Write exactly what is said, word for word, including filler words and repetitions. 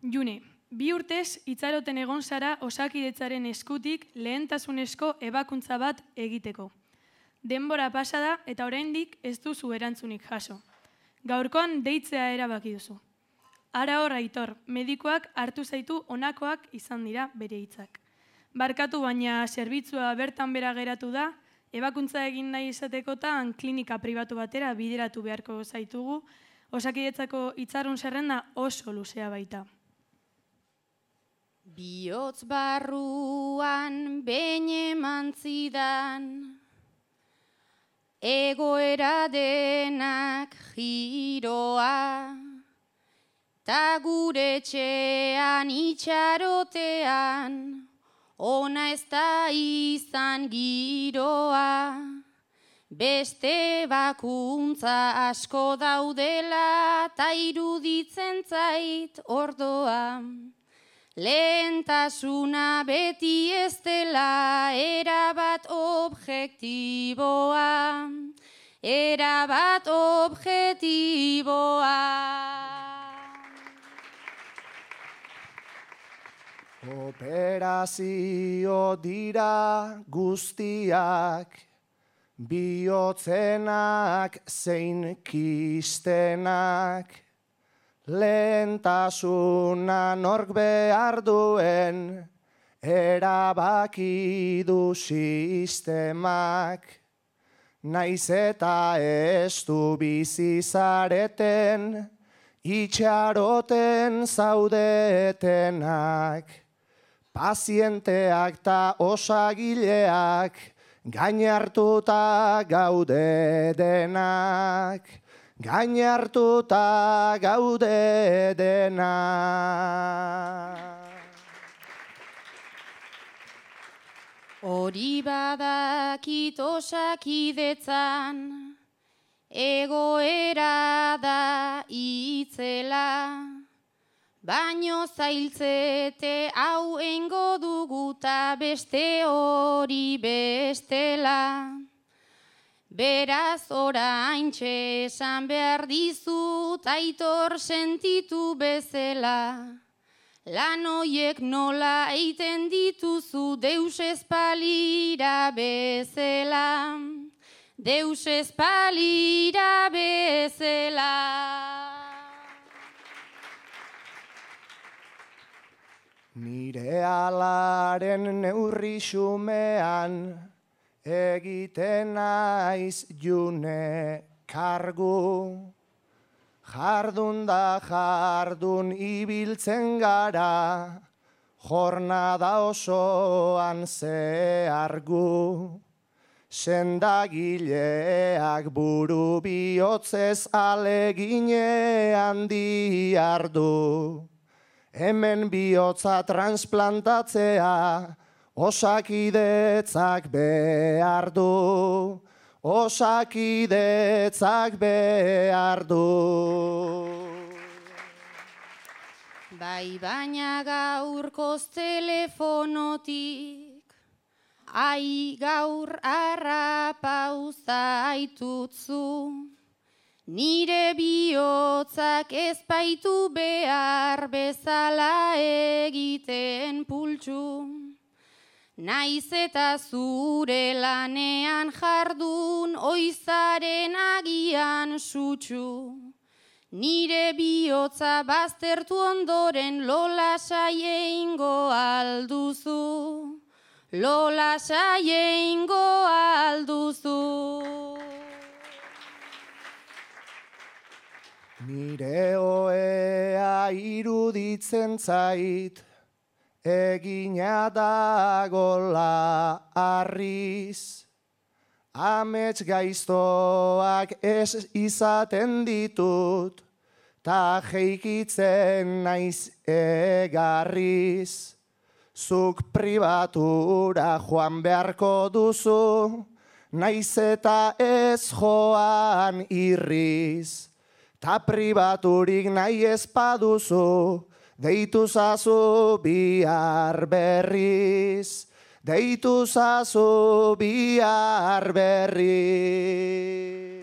June, bi urtez itxaroten egon zara Osakidetzaren eskutik lehentasunezko ebakuntza bat egiteko. Denbora pasa da eta oraindik ez duzu erantzunik jaso. Gaurkoan deitzea erabaki duzu. Ara hor, Aitor, medikoak hartu zaitu honakoak izan dira bere hitzak. Barkatu baina zerbitzua bertan bera geratu da, ebakuntza egin nahi izatekotan klinika pribatu batera bideratu beharko zaitugu, Osakidetzako itxarun zerrenda oso luzea baita. Bihotz barruan behin eman zidan, egoera denak giroa, ta gure etxean itxarotean, ona ez da izan giroa. Beste bakuntza asko daudela, ta iruditzen zait ordoa. Lehentasuna beti ez dela, erabat objektiboa, erabat objektiboa. Operazio dira guztiak, bihotzenak zein kistenak, lehentasuna nork behar duen, erabaki du sistemak. Naiz eta ez du bizi zareten, itxaroten zaudetenak. Pazienteak ta osagileak, gain hartuta gaude denak. Gain hartuta gaude denak. Hori badakit Osakidetzan, egoera da itzela, baino zailtzete hau eingo duguta beste hori bestela. Beraz oraintxe esan behar dizut Aitor sentitu bezala. Lan hoiek nola eiten dituzu deus espalira bezala. Deus espalira bezala. Nire alaren neurri xumean, egiten naiz june kargu. Jardun da jardun ibiltzen gara, jornada osoan zehargu. Sendagileak buru bihotzez aleginean diardu. Hemen bihotza transplantatzea, Osakidetzak behar du, Osakidetzak behar du. Bai baina gaurkoz telefonotik, ai gaur harrapauza aitutzu. Nire bihotzak ez baitu behar bezala egiten pultsu. Naiz eta zure lanean jardun, oizaren agian sutsu. Nire bihotza baztertu ondoren lola saieingo alduzu. Lola saieingo alduzu. Nire oea iruditzen zait, egina dagola arriz. Amets gaiztoak ez izaten ditut, ta jeikitzen naiz egarriz. Zuk pribatura joan beharko duzu, naiz eta ez joan irriz. Ta pribaturik nahi ez paduzu, deitu zazu bihar berriz. Deitu zazu bihar berriz.